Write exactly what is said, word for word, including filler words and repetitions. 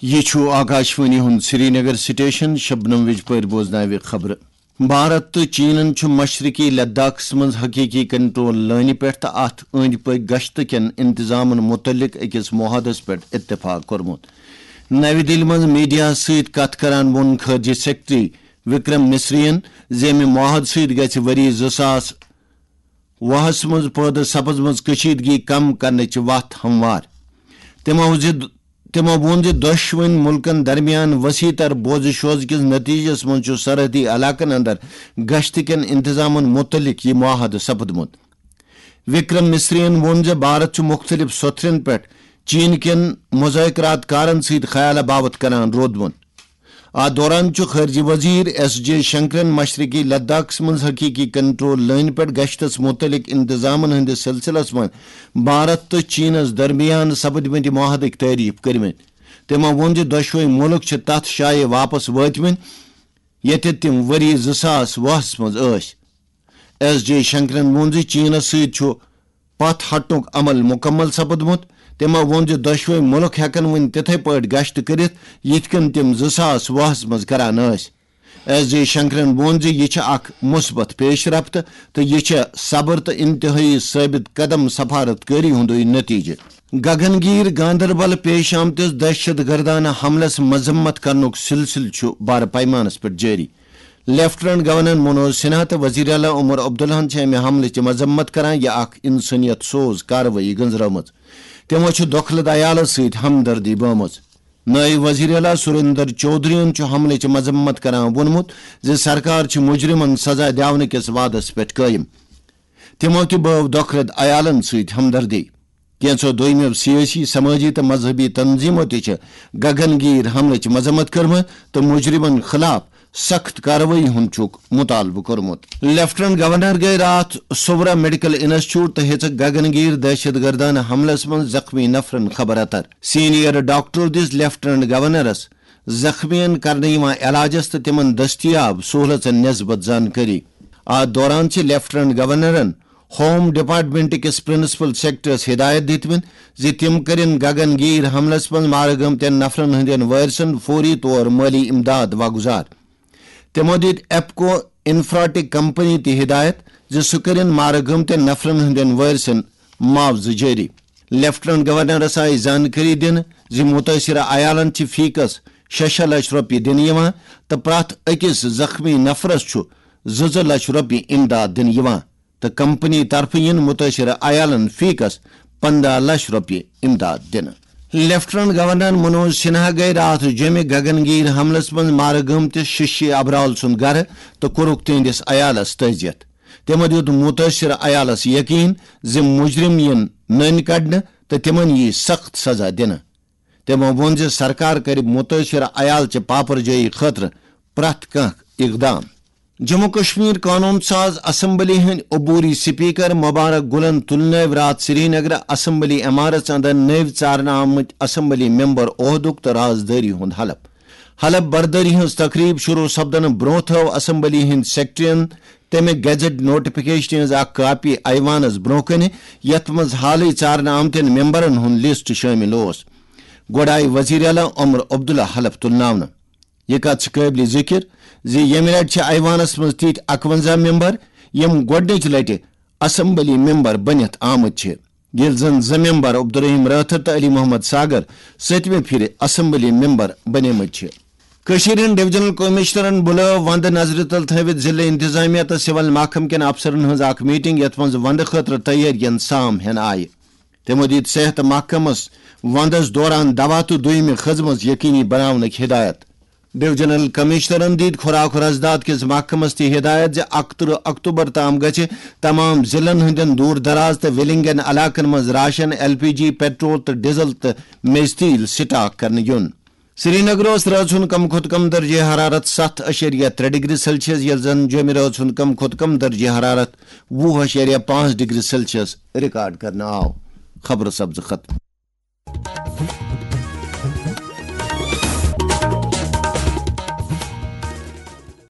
یہِ چھُ آکاشوانی ہُنٛد سرینگر سٹیشن۔ شبنم وجپٲرۍ بوزناوِ خبرٕ۔ بھارت تہٕ چینن چھُ مشرقی لداخس منٛز حقیقی کنٹرول لٲنہِ پٮ۪ٹھ تہٕ اتھ أنٛدۍ پٔکۍ گشتہٕ کٮ۪ن انتظامن متعلق أکِس معاہدس پٮ۪ٹھ اتفاق کوٚرمُت۔ نَوِ دِلہِ منٛز میڈیا سۭتۍ کتھ کران ووٚن خارجہ سیکرٹری وکرم مصرین زِ امہِ معاہدٕ سۭتۍ گژھِ ؤری زٕ ساس وُہس منٛز پٲدٕ سپزمٕژ کشیدگی کم کرنٕچ وتھ ہموار۔ تِمو زِ تِمو ووٚن زِ دۄشوٕنۍ مُلکَن درمیان وسیع تر بوزٕ شوزٕ کِس نتیجس منٛز چھُ سرحدی علاقن اندر گشت کٮ۪ن انتظامن متعلق یہِ معاہدٕ سپدمُت۔ وکرم مصرین ووٚن زِ بھارت چھُ مُختٔلِف سوٚتھرن پٮ۪ٹھ چین کٮ۪ن مذاکرات کارن سۭتۍ خیالہ باوت کران روٗدمُت۔ اتھ دوران چھُ خارجہ وزیر ایس جے شنکرن مشرقی لداخس منٛز حقیقی کنٹرول لٲنہِ پٮ۪ٹھ گشتس متعلق انتظامن ہٕنٛدِس سلسلس منٛز بھارت تہٕ چینس درمیان سپدمٕتۍ معاہدٕکۍ تعریف کٔرمٕتۍ۔ تِمو ووٚن زِ دۄشوے مُلک چھِ تتھ جایہِ واپس وٲتمٕتۍ، ییٚتہِ تِم ؤری زٕ ساس وُہس منٛز ٲسۍ۔ ایس جے شنکرن ووٚن زِ چینس سۭتۍ چھُ پتھ ہٹنُک عمل مکمل سپدمُت۔ تِمو ووٚن زِ دۄشوے مُلک ہٮ۪کن وۄنۍ تِتھے پٲٹھۍ گشت کٔرِتھ، یِتھ کٔنۍ تِم زٕ ساس وُہس منٛز کران ٲسۍ۔ ایس جے شنکرن ووٚن زِ یہِ چھِ اکھ مثبت پیش رفت تہٕ یہِ چھِ صبر تہٕ انتہٲئی ثٲبت قدم سفارت کٲری ہُنٛدُے نتیجہٕ۔ گگن گیٖر گاندربل پیش آمتِس دہشت گردانہ حملس مذمت کرنُک سلسلہٕ چھُ بڑٕ پیمانس پٮ۪ٹھ جٲری۔ لیفٹیننٹ گورنر منوج سنہا تہٕ وزیر اعلیٰ عمر عبداللہن چھِ امہِ حملٕچ مذمت کران، یہِ اکھ انسٲنیت سوز کاروٲیی گٔنزرٲومٕژ۔ تِمو چھِ دۄکھلہٕ عیالس سۭتۍ ہمدردی بٲومٕژ۔ نٲیِب وزیر اعلیٰ سریندر چودھرین چھُ حملٕچ مذمت کران ووٚنمُت زِ سرکار چھِ مجرمن سزا دِونہٕ کِس وعدس پٮ۪ٹھ قٲیِم۔ تِمو تہِ بٲو دۄکھلہٕ عیالن سۭتۍ ہمدردی۔ کینٛژو دوٚیمٮ۪و سیٲسی، سمٲجی تہٕ مذہبی تنظیمو تہِ چھِ گگن گیٖر حملٕچ مذمت کٔرمٕژ تہٕ مجرمن خلاف سخت کاروٲیی ہُنٛد چھُکھ مطالبہٕ کوٚرمُت۔ لیفٹیننٹ گورنر گٔیہِ راتھ سوورا میڈیکل انسٹیٹیوٹ تہٕ ہیٚژٕکھ گگن گیٖر دہشت گردانہ حملس منٛز زخمی نفرن خبر اتر۔ سینئر ڈاکٹرو دِژ لیفٹیننٹ گورنرس زخمیَن کرنہٕ یِوان علاجس تہٕ تِمَن دٔستیاب سہوٗلژن نسبت زانکٲری۔ اتھ دوران چھِ لیفٹیننٹ گورنرن ہوم ڈپارٹمنٹ کِس پرنسپل سیکرٹریس ہدایت دِتمٕتۍ زِ تِم کٔرِن گگن گیٖر حملس منٛز مارٕ گٔمتٮ۪ن نفرن ہٕنٛدٮ۪ن وٲرثن فوری طور مٲلی امداد واگزار۔ تِمو دِتۍ ایپکو انفراٹک کمپنی تہِ ہدایت زِ سُہ کٔرِن مارٕ گٔمتٮ۪ن نفرن ہٕنٛدٮ۪ن وٲرثن معاوضہٕ جٲری۔ لیفٹیننٹ گورنرس آیہِ زانکٲری دِنہٕ زِ مُتٲثرٕ عیالن چھِ فی کس شےٚ شےٚ لچھ رۄپیہِ دِنہٕ یِوان تہٕ پرٛٮ۪تھ أکِس زخمی نفرس چھُ زٕ زٕ لچھ رۄپیہِ امداد دِنہٕ یِوان تہٕ کمپنی طرفہٕ یِن مُتٲثرٕ عیالن فی کس پنٛداہ لچھ رۄپیہِ امداد دِنہٕ۔ لیفٹیننٹ گورنر منوج سنہا گٔیہِ راتھ جیٚمہِ گگن گیٖر حملس منٛز مارٕ گٲمتِس ششی ابرال سُنٛد گرٕ تہٕ کوٚرُکھ تِہنٛدِس عیالس تعزیت۔ تِمو دیُت مُتٲثرٕ عیالس یقین زِ مُجرِم یِن نٔنۍ کڑنہٕ تہٕ تِمن یِیہِ سخت سزا دِنہٕ۔ تِمو ووٚن زِ سرکار کرِ مُتٲثرٕ عیال چہِ پاپر جٲیی خٲطرٕ پرٛٮ۪تھ کانٛہہ اقدام۔ جموں کشمیر قونوٗن ساز اسمبلی ہٕنٛدۍ عبوری سپیکر مبارک گلن تُلنٲوۍ راتھ سرینگرٕ اسمبلی عمارژ اندر نٔوۍ ژارنہٕ آمٕتۍ اسمبلی ممبر عہدُک تہٕ رازدٲری ہُنٛد حلف۔ حلف بردٲری ہٕنٛز تقریب شروع سپدنہٕ برونٛہہ تھٲو اسمبلی ہٕنٛدۍ سیکرٹریَن تَمہِ گیزٹ نوٹیفکیشنہِ ہٕنٛز اکھ کاپی ایوانس برونٛہہ کنہِ، یتھ منٛز حالٕے ژارنہٕ آمتٮ۪ن ممبرن ہُنٛد لسٹ شٲمِل اوس۔ گۄڈٕ آیہِ وزیر اعلیٰ عمر عبداللہ حلف تُلناونہٕ۔ یہِ کتھ چھِ قٲبلِ ذِکر زِ ییٚمہِ لٹہِ چھِ ایوانس منٛز تِتھۍ اکونزہ ممبر، یِم گۄڈٕنِچہِ لٹہِ اسمبلی ممبر بٔنِتھ آمٕتۍ چھِ، ییٚلہِ زن زٕ ممبر عبدالرحیم رٲتھر تہٕ علی محمد ساگر سٔتمہِ پھِرِ اسمبلی ممبر بنیمٕتۍ چھِ۔ کٔشیٖرِ ہٕنٛدۍ ڈویژنل کمشنرن بُلٲو وندٕ نظرِ تل تھٲوِتھ ضلعہٕ انتظامیہ تہٕ سول محکمہٕ کٮ۪ن افسرن ہٕنٛز اکھ میٹنگ، یتھ منٛز وندٕ خٲطرٕ تیٲرین سام ہٮ۪نہٕ آیہِ۔ تِمو دِتۍ صحت محکمس وندس دوران دوا تہٕ دوٚیمہِ خدمژ یقینی بناونٕکۍ ہدایت۔ ڈویژنل کمشنرن دِتۍ خوراک و رسداد کِس محکمس تہِ ہدایت زِ اکترٕہ اکتوبر تام گژھِ تمام ضلعن ہٕنٛدٮ۪ن دوٗر دراز تہٕ وِلنگن علاقن منٛز راشن، ایل پی جی، پیٹرول تہٕ ڈیزل تہٕ میژِ تیل سٹاک کرنہٕ یُن۔ سرینگر اوس رٲژ ہُنٛد کم کھۄتہٕ کم درجہ حرارت ستھ اَشیریہ ترٛےٚ ڈگری سیلسیس، ییٚلہِ زن جوٚمہِ رٲژ ہُنٛد کم کھۄتہٕ کم درجہ حرارت وُہ اَشیریہ پانٛژھ ڈگری سیلسیس ریکارڈ کرنہٕ آو۔ خبرٕ سپزٕ ختم۔